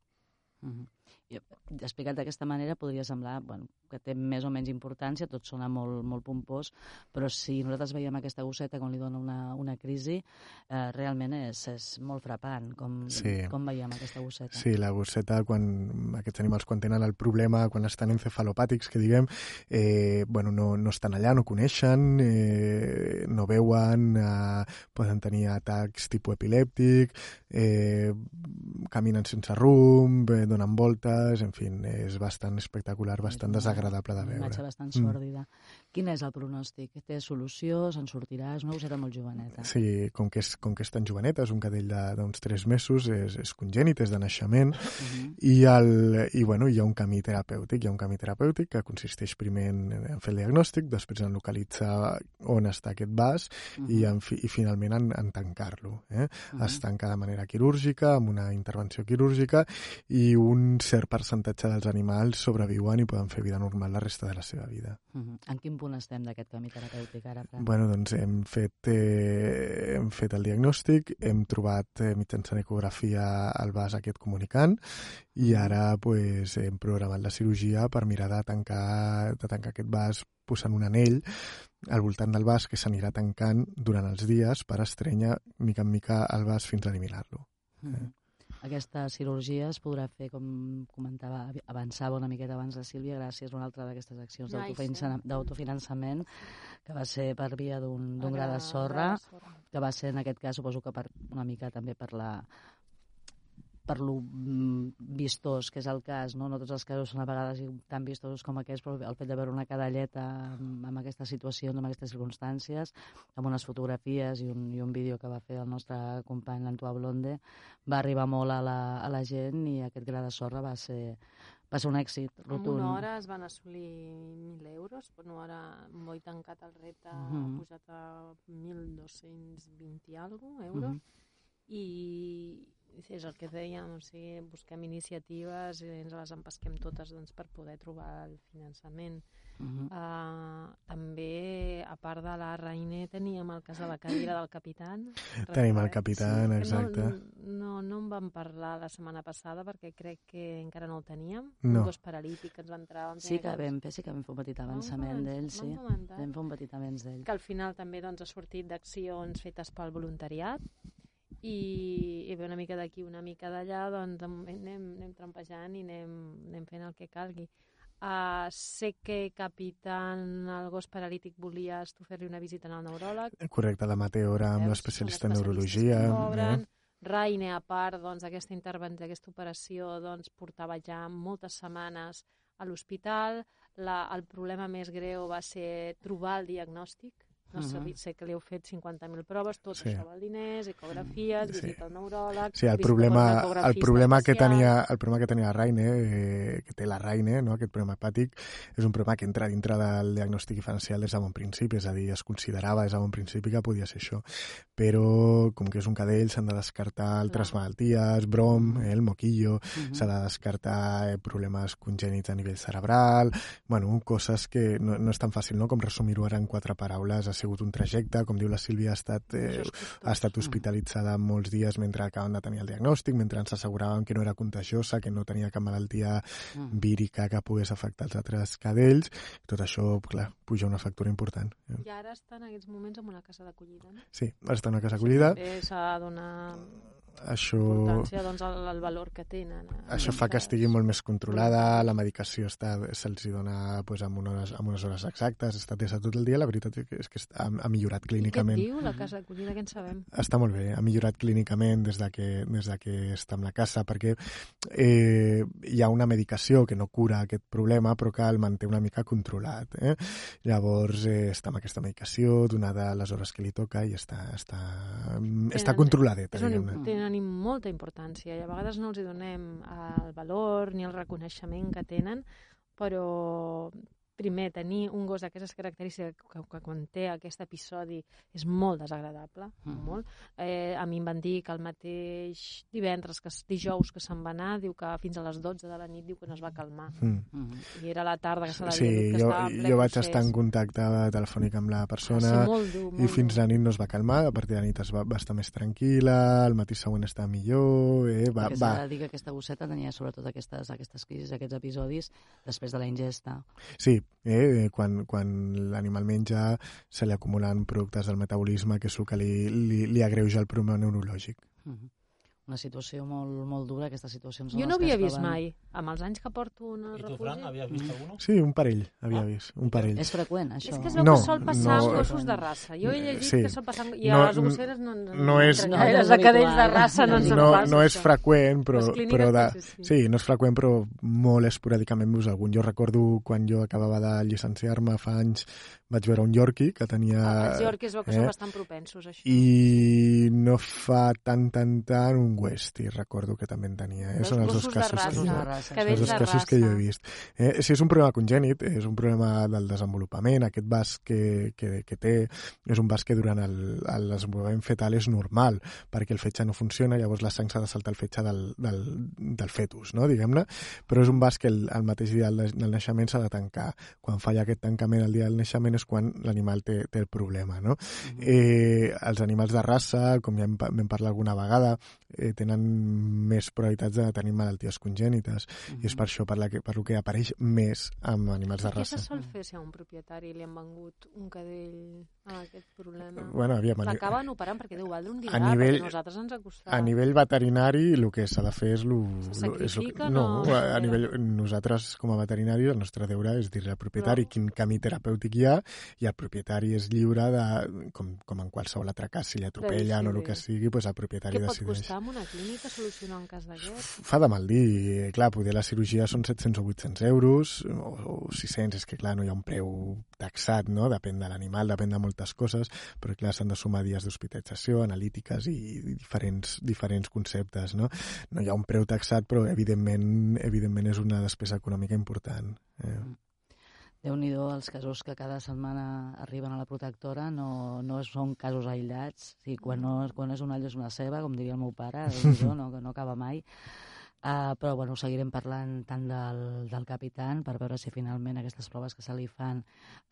Explicat d'aquesta manera podria semblar que té més o menys importància, tot sona molt, molt pompós, però si nosaltres veiem aquesta gosseta quan li dona una crisi, realment és molt frapant com veiem aquesta gosseta. Sí, la gosseta, aquests animals quan tenen el problema, quan estan encefalopàtics, que diguem, no estan allà, no coneixen, no veuen, poden tenir atacs tipus epilèptic, caminen sense rumb, donen voltes, en fi, és bastant espectacular, bastant desagradable de veure. Una imatge bastant sòrdida. Quin és el pronòstic? Té solució? Se'n sortirà? És una gosseta molt joveneta. Sí, com que és tan joveneta, és un cadell d'uns 3 mesos, és congènit, és de naixement, i hi ha un camí terapèutic. Hi ha un camí terapèutic que consisteix primer en fer el diagnòstic, després en localitzar on està aquest vas i finalment en tancar-lo. Es tanca de manera quirúrgica, amb una intervenció quirúrgica, i un cert percentatge dels animals sobreviuen i poden fer vida normal la resta de la seva vida. En quin punt estem d'aquest camí terapèutic ara? Doncs hem fet el diagnòstic, hem trobat mitjançant ecografia el vas aquest comunicant i ara hem programat la cirurgia per mirar de tancar aquest vas posant un anell al voltant del vas que s'anirà tancant durant els dies per estrènyer mica en mica el vas fins a eliminar-lo. Aquesta cirurgia es podrà fer, com comentava, avançava una miqueta abans la Sílvia, gràcies a una altra d'aquestes accions d'autofinançament que va ser per via d'un gra de sorra, que va ser en aquest cas, suposo que una mica també per lo vistós que és el cas, no tots els casos són a vegades tan vistosos com aquests, però el fet de veure una cadelleta amb aquesta situació, amb aquestes circumstàncies, amb unes fotografies i un vídeo que va fer el nostre company l'Antoine Blonde, va arribar molt a la gent i aquest gra de sorra va ser un èxit rotund. En una hora es van assolir 1.000 euros, per una hora molt tancat el repte, ha pujat a 1.220 i alguna euros, i és el que dèiem, busquem iniciatives i ens les empesquem totes per poder trobar el finançament. També, a part de la Reine, teníem el cas de la cadira del Capitán. Tenim el Capitán, exacte. No en vam parlar la setmana passada perquè crec que encara no el teníem. No. Un gos paralític que ens va entrar... Sí que vam fer un petit avançament d'ell, sí. Vam fer un petit avanç d'ell. Que al final també ha sortit d'accions fetes pel voluntariat, i ve una mica d'aquí, una mica d'allà, doncs de moment anem trampejant i anem fent el que calgui. Sé que Capitán, el gos paralític, volies tu fer-li una visita al neuròleg. Correcte, la Mateora amb l'especialista en neurologia. Raine, a part d'aquesta intervenció, d'aquesta operació, portava ja moltes setmanes a l'hospital. El problema més greu va ser trobar el diagnòstic. No sé que li heu fet 50.000 proves, tot això val diners, ecografies, visita al neuròleg... Sí, el problema que tenia Raine, que té la Raine, no? Aquest problema hepàtic, és un problema que entra dintre del diagnòstic diferencial des de bon principi, és a dir, es considerava des de bon principi que podia ser això. Però, com que és un cadell, s'han de descartar altres malalties, brom, el moquillo, s'ha de descartar problemes congènits a nivell cerebral, bueno, coses que no és tan fàcil, no?, com resumir-ho ara en 4 paraules. Ha sigut un trajecte, com diu la Sílvia, ha estat hospitalitzada molts dies mentre acaben de tenir el diagnòstic, mentre ens asseguràvem que no era contagiosa, que no tenia cap malaltia vírica que pogués afectar els altres cadells. Tot això, clar, puja una factura important. I ara està en aquests moments en una casa d'acollida, no? Sí, està en una casa d'acollida. També s'ha de donar importància, el valor que tenen. Això fa que estigui molt més controlada, la medicació se'ls dona amb unes hores exactes, està atesa tot el dia, la veritat és que ha millorat clínicament. I què et diu la casa d'acollida, què en sabem? Està molt bé, ha millorat clínicament des de que està en la casa, perquè hi ha una medicació que no cura aquest problema, però que el manté una mica controlat. Llavors està amb aquesta medicació, donada les hores que li toca, i està controladeta. Tenen molta importància i a vegades no els hi donem el valor ni el reconeixement que tenen, però primer, tenir un gos d'aquestes característiques que quan té aquest episodi és molt desagradable, molt. A mi em van dir que el mateix dijous que se'n va anar, diu que fins a les 12 de la nit diu que no es va calmar. I era la tarda que se l'havia dit que estava en ple procés. Jo vaig estar en contacte telefònic amb la persona i fins la nit no es va calmar, a partir de la nit va estar més tranquil·la, el matí següent estava millor... S'ha de dir que aquesta gosseta tenia sobretot aquestes crisis, aquests episodis, després de la ingesta. Sí, quan l'animal menja se li acumulen productes del metabolisme, que és el que li agreuja el problema neurològic. Una situació molt dura, aquestes situacions... Jo no havia vist mai, amb els anys que porto un refugi. I tu, Fran, havies vist alguno? Sí, un parell havia vist, un parell. És freqüent, això? És que es veu que sol passar amb gossos de raça. Jo he llegit que sol passar... I a les gosseres les de cadells de raça no ens en passa. No és freqüent, sí, no és freqüent, però molt esporàdicament veus algun. Jo recordo quan jo acabava de llicenciar-me fa anys, vaig veure un Yorkie que tenia... Els Yorkies veu que són bastant propensos a això. I no fa tant un Westie, recordo que també en tenia. Són els dos casos que jo he vist. Si és un problema congènit, és un problema del desenvolupament, aquest basc que té és un basc que durant el desenvolupament fetal és normal, perquè el fetge no funciona, llavors la sang s'ha de saltar el fetge del fetus, no? Diguem-ne, però és un basc que el mateix dia del naixement s'ha de tancar. Quan falla aquest tancament el dia del naixement és quan l'animal té el problema, no? Els animals de raça, com ja vam parlar alguna vegada, tenen més probabilitats de tenir malalties congènites, i és per això per lo que apareix més amb animals de raça. Què se sol fer si a un propietari li han vengut un cadell amb aquest problema? L'acaben operant perquè deu valdre un dinar, perquè a nosaltres ens ha costat. A nivell veterinari el que s'ha de fer és... Se sacrifica? Nosaltres com a veterinaris el nostre deure és dir al propietari quin camí terapèutic hi ha, i el propietari és lliure de, com en qualsevol altre cas, si l'atropellen o el que sigui, doncs el propietari decideix. Què pot costar en una clínica solucionar un cas d'aquest? Fa de mal dir. Clar, poder la cirurgia són 700 o 800 euros, o 600, és que clar, no hi ha un preu taxat, no? Depèn de l'animal, depèn de moltes coses, però clar, s'han de sumar dies d'hospitalització, analítiques i diferents conceptes, no? No hi ha un preu taxat, però evidentment és una despesa econòmica important. Déu-n'hi-do els casos que cada setmana arriben a la protectora, no són casos aïllats. Quan és una allò és una ceba, com diria el meu pare, no acaba mai. Però bueno, seguirem parlant tant del Capitán per veure si finalment aquestes proves que se li fan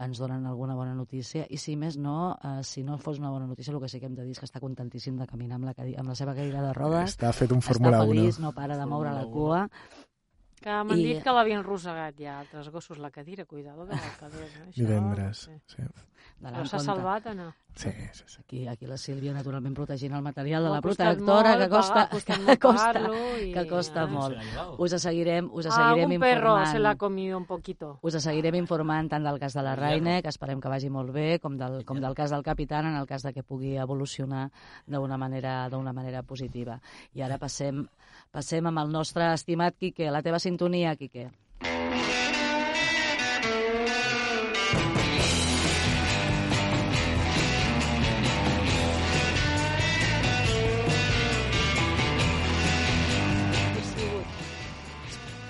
ens donen alguna bona notícia, i si més no, si no fos una bona notícia, el que sí que hem de dir és que està contentíssim de caminar amb la seva cadira de rodes. Està fet un Fórmula 1. Està feliç, no para de moure la cua. Que m'han dit que l'havien rosegat ja altres gossos la cadira, cuidado que la cadira. Divendres, sí. Però s'ha salvat o no? Sí. Aquí la Sílvia, naturalment, protegint el material de la protectora, que costa molt. Us seguirem informant. Un perro se l'ha comido un poquito. Us seguirem informant tant del cas de la Raine, que esperem que vagi molt bé, com del cas del capitán, en el cas de que pugui evolucionar d'una manera positiva. I ara passem amb el nostre estimat Quique. La teva sintonia, Quique.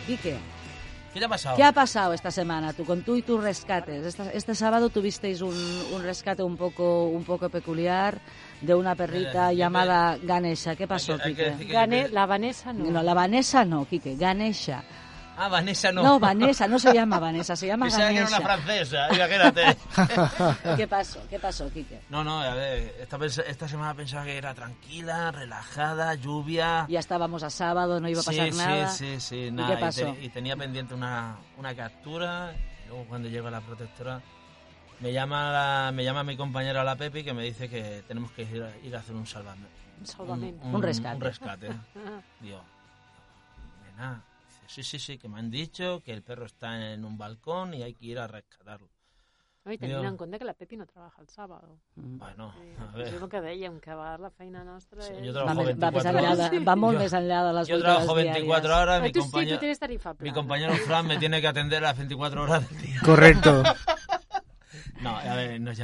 Quique, ¿qué te ha pasado? ¿Qué ha pasado esta semana con tú y tus rescates? Este sábado tuvisteis un rescate un poco peculiar de una perrita llamada Ganesha. ¿Qué pasó, Quique? La Vanessa no. No, la Vanessa no, Quique, Ganesha. Ah, Vanessa no. No, Vanessa, no se llama Vanessa, se llama Ganesha. Que era una francesa, imagínate. ¿Qué pasó, Quique? No, a ver, esta semana pensaba que era tranquila, relajada, lluvia. Ya estábamos a sábado, no iba a pasar nada. Sí, nada. ¿Qué pasó? Y tenía pendiente una captura, y luego cuando llega la protectora me llama mi compañera la Pepi, que me dice que tenemos que ir a hacer un salvamento. Un rescate. Un rescate. Digo, nena. Sí, que me han dicho que el perro está en un balcón y hay que ir a rescatarlo. No, i tenint en compte que la Pepi no trabaja el sábado. Bueno, a ver. És el que dèiem, que va la feina nostra... Sí, jo trabajo 24 horas. Va molt més enllà de les 8 hores diàries. Yo trabajo 24 horas, mi compañero Fran me tiene que atender las 24 horas del día. Correcto. No, a ver, nos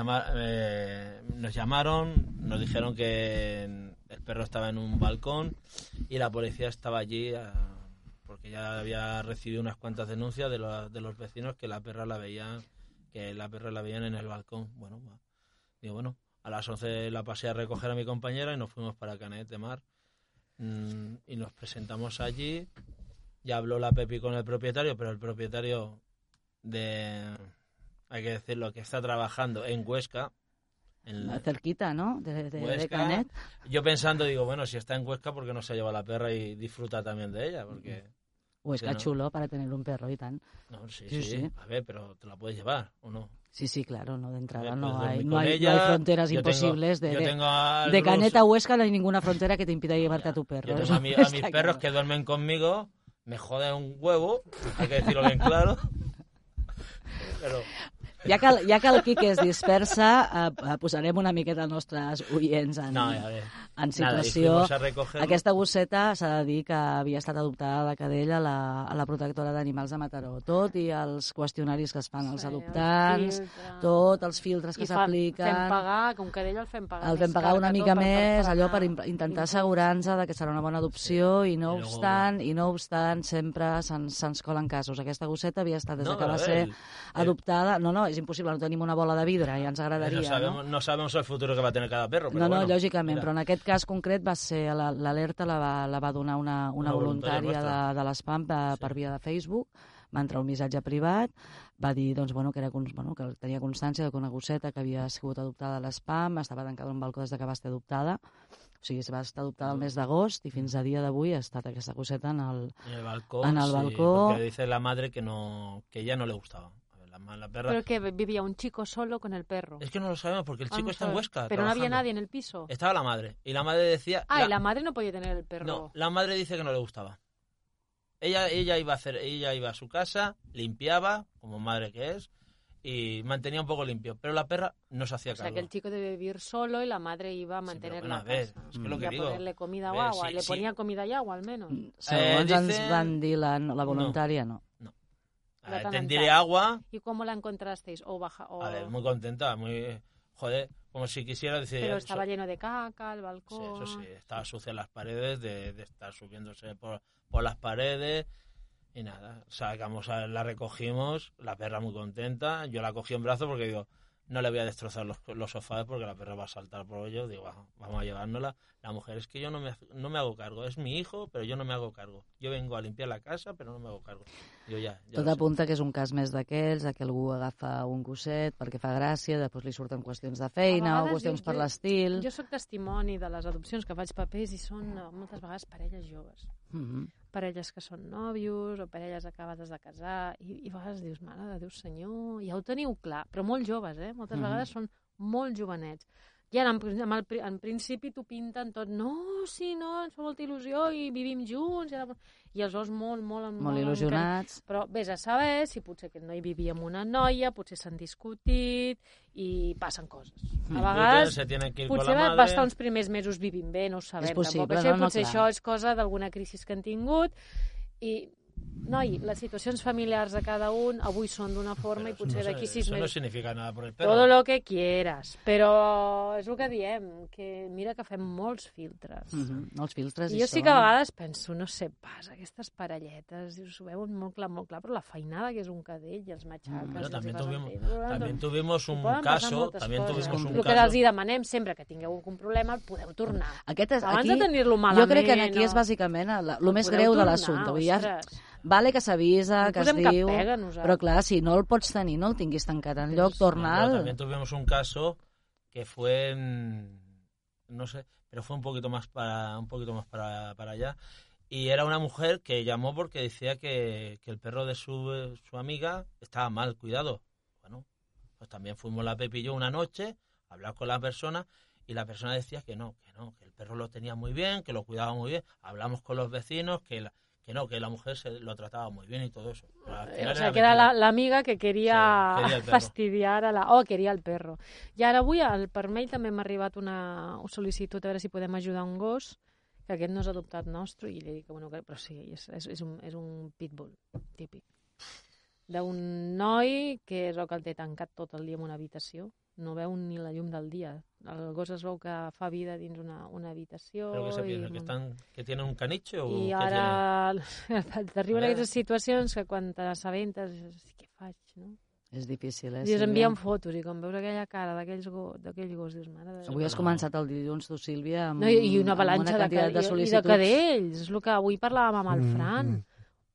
llamaron, nos dijeron que el perro estaba en un balcón y la policía estaba allí... porque ya había recibido unas cuantas denuncias de los vecinos que la perra la veían en el balcón. Bueno, a las 11 la pasé a recoger a mi compañera y nos fuimos para Canet de Mar y nos presentamos allí. Ya habló la Pepi con el propietario, pero el propietario hay que decirlo, que está trabajando en Huesca. Cerquita, ¿no? De Canet. Yo pensando, digo, bueno, si está en Huesca, ¿por qué no se lleva la perra y disfruta también de ella? Porque Huesca chulo para tener un perro y tan. No, sí. A ver, pero ¿te la puedes llevar o no? Sí, claro, no, de entrada no hay fronteras imposibles. De Canet a Huesca no hay ninguna frontera que te impida llevarte a tu perro. Yo tengo a mis perros que duermen conmigo, me joden un huevo, hay que decirlo bien claro. Però... Ja que el Quique es dispersa, posarem una miqueta els nostres oients en situació. Aquesta gosseta s'ha de dir que havia estat adoptada de cadella a la protectora d'animals de Mataró. Tot i els qüestionaris que es fan als adoptants, tots els filtres que s'apliquen... Fem pagar, com cadella el fem pagar. El fem pagar una mica més, allò per intentar assegurar-nos que serà una bona adopció, i no obstant, sempre se'ns colen casos. Aquesta gosseta havia estat, des que va ser adoptada... No, és impossible, no tenim una bola de vidre, ja ens agradaria. No sabemos el futuro que va tener cada perro. No, lògicament, però en aquest cas concret va ser l'alerta la va donar una voluntària de l'ESPAM per via de Facebook. Va entrar un missatge privat, va dir que tenia constància que una gosseta que havia sigut adoptada a l'ESPAM estava tancada en un balcó des que va ser adoptada. O sigui, va estar adoptada el mes d'agost i fins a dia d'avui ha estat aquesta gosseta en el balcó. Sí, porque dice la madre que ella no le gustaba. La perra... Pero que vivía un chico solo con el perro. Es que no lo sabemos porque el chico está en Huesca. Pero trabajando. No había nadie en el piso. Estaba la madre. Y la madre decía... y la madre no podía tener el perro. No, la madre dice que no le gustaba. Ella iba a su casa, limpiaba, como madre que es, y mantenía un poco limpio. Pero la perra no se hacía cargo. O sea, que el chico debe vivir solo y la madre iba a mantener la casa. Es que lo que digo. Ponerle comida o agua. ¿Le ponía comida y agua al menos? Segons ens van dir la voluntària, no. Tendré agua. ¿Y cómo la encontrasteis? A ver, muy contenta, joder, como si quisiera decir... Pero estaba lleno de caca, el balcón... Sí, eso sí, estaba sucia las paredes, de estar subiéndose por las paredes, y nada, la recogimos, la perra muy contenta, yo la cogí en brazos porque digo, no le voy a destrozar los sofás porque la perra va a saltar por ellos, digo, vamos a llevárnosla. La mujer, es que yo no me hago cargo, es mi hijo, pero yo no me hago cargo. Yo vengo a limpiar la casa, però no me hago cargo. Jo ja tot apunta que és un cas més d'aquells, que algú agafa un gosset perquè fa gràcia, després li surten qüestions de feina o qüestions per l'estil... Jo soc testimoni de les adopcions que faig papers i són moltes vegades parelles joves. Parelles que són nòvios o parelles acabades de casar i a vegades dius, mare de Déu senyor, ja ho teniu clar, però molt joves, moltes vegades són molt jovenets. I ara, en principi, t'ho pinten tot. No, sí, no, ens fa molta il·lusió i vivim junts. I els veus molt il·lusionats. Però vés a saber si potser aquest noi vivia amb una noia, potser s'han discutit i passen coses. A vegades, potser va estar uns primers mesos vivint bé, no ho sabem. És possible, potser això és cosa d'alguna crisi que han tingut i... Noi, les situacions familiars de cada un avui són d'una forma i potser d'aquí 6 mesos... Eso no significa nada por el perro. Todo lo que quieras, però és el que diem, que mira que fem molts filtres. Els filtres I jo sí que a vegades penso, no sé pas, aquestes parelletes, s'ho veuen molt clar, però la feinada que és un cadell i els matxaques... También tuvimos un caso... El que els demanem sempre que tingueu algun problema, el podeu tornar. Abans de tenir-lo malament... Jo crec que aquí és bàsicament el més greu de l'assumpte. Vale que s'avisa, que es diu... Però clar, si no el pots tenir, no el tinguis tancat en lloc, torna'l... También tuvimos un caso que fue... No sé, pero fue un poquito más para allá. Y era una mujer que llamó porque decía que el perro de su amiga estaba mal cuidado. Bueno, pues también fuimos la Pepi y yo una noche a hablar con la persona y la persona decía que no, que el perro lo tenía muy bien, que lo cuidaba muy bien. Hablamos con los vecinos, que la mujer lo trataba muy bien y todo eso. O sea, que era la amiga que queria fastidiar queria el perro. I ara avui per mail també m'ha arribat una sol·licitud a veure si podem ajudar un gos, que aquest no és adoptat nostre, i li dic que, bueno, però sí, és un pitbull típic. D'un noi que és el que el té tancat tot el dia en una habitació, no veu ni la llum del dia. El gos es veu que fa vida dins una habitació. Però què se piensa? ¿Que tienen un caniche o I ara t'arriben aquestes situacions que quan t'assabentes què faig, no? És difícil, I us envien fotos i quan veus aquella cara d'aquell gos dius, mare de Déu. Avui has començat el dilluns, tu, Sílvia, amb una avalanxa de sol·licituds. I de cadells. És el que avui parlàvem amb el Fran.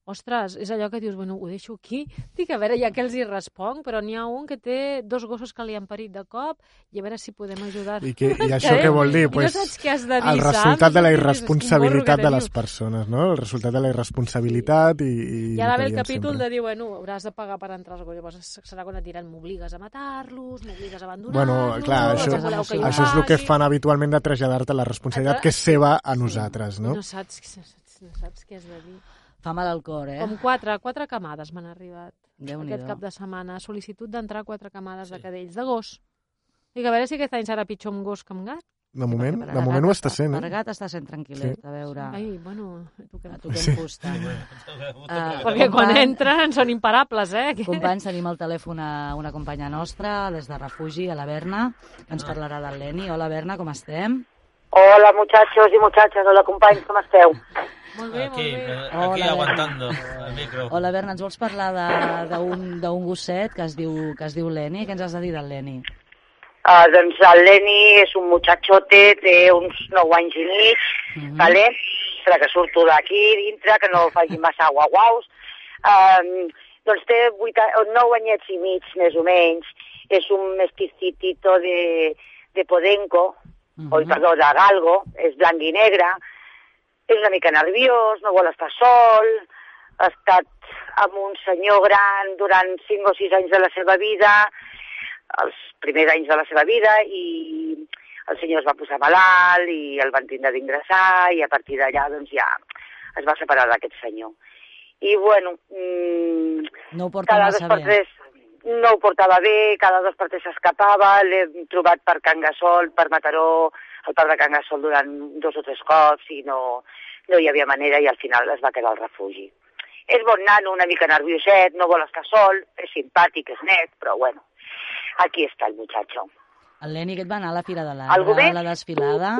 Ostres, és allò que dius, bueno, ho deixo aquí. Dic, a veure, ja que els hi responc, però n'hi ha un que té 2 gossos que li han parit de cop i a veure si podem ajudar. I això què vol dir? Pues, no saps què has de dir, el resultat de la irresponsabilitat de les persones, no? El resultat de la irresponsabilitat i hi ha d'haver el capítol de dir, bueno, hauràs de pagar per entrar als gossos. Llavors serà quan et diran, m'obligues a matar-los, m'obligues a abandonar-los... Bueno, clar, això és el que fan habitualment de traslladar-te la responsabilitat que és seva a nosaltres, no? No saps què has de dir. Fa mal al cor, eh? Com 4 camades m'han arribat Déu-n'hi-do. aquest cap de setmana. Sol·licitud d'entrar 4 camades de cadells, de gos. Dic, a veure si aquest any serà pitjor amb gos que amb gat. De moment ho està sent, Per gat està sent tranquil·let, a veure... Ai, bueno, tu què em fusta. Perquè quan entren són imparables, eh? Companys, tenim al telèfon una companya nostra, des de refugi, a la Berna, que ens parlarà del Leni. Hola, Berna, com estem? Hola, muchachos y muchachas. Hola, companys, com esteu? Molt bé, aquí, molt bé. Aquí aguantando el micro. Hola, Berna, ens vols parlar d'un gosset que es diu Leni? Què ens has de dir del Leni? Doncs el Leni és un muchachote, té uns 9 anys i mig, vale? Serà que surto d'aquí dintre, que no faci massa guau-guaus. Doncs té 9 anyets i mig, més o menys. És un mesticitito de Podenco, perdó, de Galgo, és blanc i negre. És una mica nerviós, no vol estar sol, ha estat amb un senyor gran durant 5 o 6 anys de la seva vida, els primers anys de la seva vida, i el senyor es va posar malalt i el van tindre d'ingressar i a partir d'allà doncs ja es va separar d'aquest senyor. I bueno, no ho porta massa bé. No ho portava bé, cada 2 per 3 s'escapava, l'hem trobat per Can Gasol, per Mataró, al parc de Can Gasol durant 2 o 3 cops i no hi havia manera i al final es va quedar al refugi. És bon nano, una mica nervioset, no vol estar sol, és simpàtic, és net, però bueno, aquí està el muchacho. El Leni aquest va anar a la Fira de l'Arbre, a la desfilada.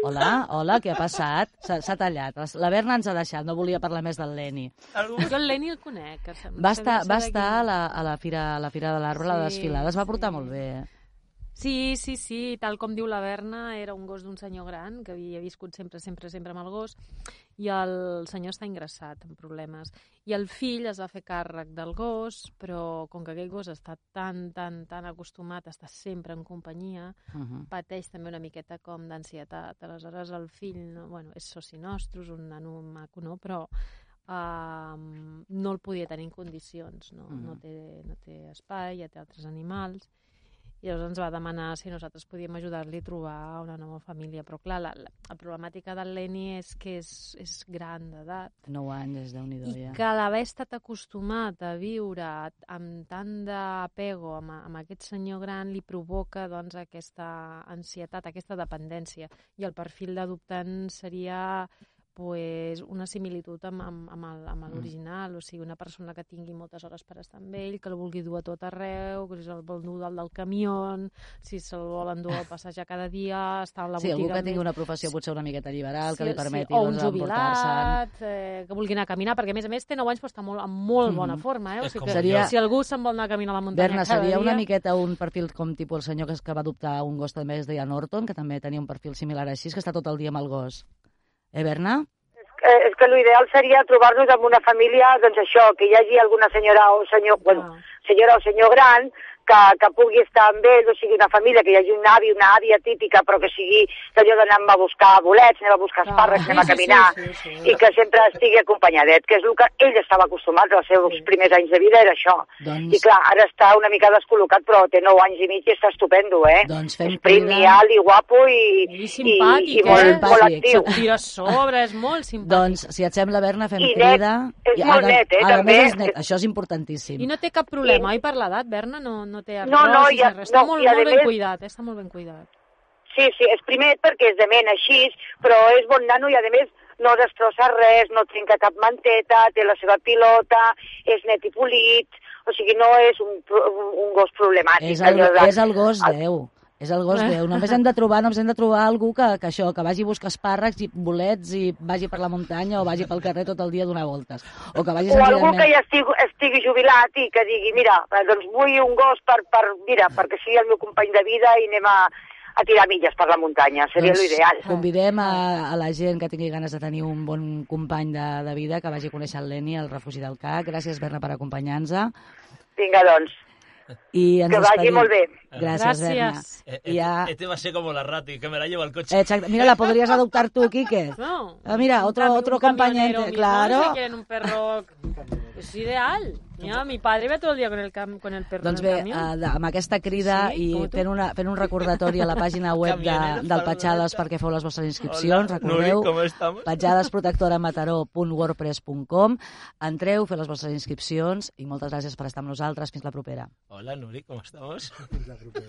Hola, què ha passat? S'ha tallat. La Berna ens ha deixat, no volia parlar més del Leni. Jo el Leni el conec. Va estar a la Fira de l'Arbre, a la desfilada, es va portar molt bé. Sí, tal com diu la Berna, era un gos d'un senyor gran que havia viscut sempre amb el gos i el senyor està ingressat amb problemes. I el fill es va fer càrrec del gos, però com que aquell gos està tan acostumat a estar sempre en companyia, pateix també una miqueta com d'ansietat. Aleshores el fill, és soci nostre, és un nano maco, no? Però no el podia tenir en condicions, no té espai, ja té altres animals. I llavors ens va demanar si nosaltres podíem ajudar-li a trobar una nova família. Però clar, la problemàtica del Leni és que és gran d'edat. 9 anys, Déu-n'hi-do, I ja. que l'haver estat acostumat a viure amb tant d'apego amb aquest senyor gran li provoca doncs, aquesta ansietat, aquesta dependència. I el perfil d'adoptant seria pues, una similitud amb l'original, o sigui, una persona que tingui moltes hores per estar amb ell, que el vulgui dur a tot arreu, que si se'l vol dur dalt del camió, si se'l volen dur a passejar cada dia, estar a la botiga... Sí, algú que tingui una professió potser una miqueta liberal, que li permeti o un doncs, jubilat, que vulgui anar a caminar, perquè a més té 9 anys però està en molt bona forma. O sigui, Seria... Si algú se'n vol anar a caminar a la muntanya Berna, cada seria dia... una miqueta un perfil com tipus el senyor que va adoptar un gos també es deia Norton, que també tenia un perfil similar així, que està tot el dia amb el gos. Berna? És que l'ideal seria trobar-nos amb una família, doncs això, que hi hagi alguna senyora o senyor, senyora o senyor gran que pugui estar amb ells, o sigui, una família, que hi hagi un avi, una àvia típica, però que sigui allò d'anar a buscar bolets, anem a buscar espàrrecs, anem a caminar, i que sempre estigui acompanyadet, que és el que ell estava acostumat als seus primers anys de vida, era això. I clar, ara està una mica descol·locat, però té 9 anys i mig i està estupendo, Doncs fem prim, i guapo i simpàtic, molt actiu. Se't tira a sobre, és molt simpàtic. Doncs, si et sembla, Berna, fem crida. És molt net, també. És net. Això és importantíssim. I no té cap problema, oi, per l'edat, Berna? No té artrosis, està molt ben cuidat, està molt ben cuidat. Sí, és primer perquè és de ment així, però és bon nano i a més no destrossa res, no trenca cap manteta, té la seva pilota, és net i polit, o sigui, no és un gos problemàtic. És el gos Déu. És el gos Déu. Només hem de trobar algú que vagi a buscar espàrrecs i bolets i vagi per la muntanya o vagi pel carrer tot el dia a donar voltes. O algú que ja estigui jubilat i que digui, mira, doncs vull un gos perquè sigui el meu company de vida i anem a tirar milles per la muntanya. Seria l'ideal. Convidem a la gent que tingui ganes de tenir un bon company de vida que vagi a conèixer el Leni, el refugi del CAC. Gràcies, Berna, per acompanyar-nos. Vinga, doncs. Que vagi molt bé. Gràcies, Berna. Este va a ser como la Rati, que me la lleva al coche. Exacto. Mira, la podrías adoptar tú, Quique. No. Mira, otro compañero. Claro. Si quieren un perro... Es ideal. Mira, mi padre ve todo el dia con el perro doncs en el camió. camió. Doncs bé, amb aquesta crida i fent un recordatori a la pàgina web del Petjades perquè feu les vostres inscripcions, recordeu, petjadesprotectoramataró.wordpress.com. Entreu, feu les vostres inscripcions i moltes gràcies per estar amb nosaltres. Fins la propera. Hola, Nuri, ¿cómo estamos? Fins la propera.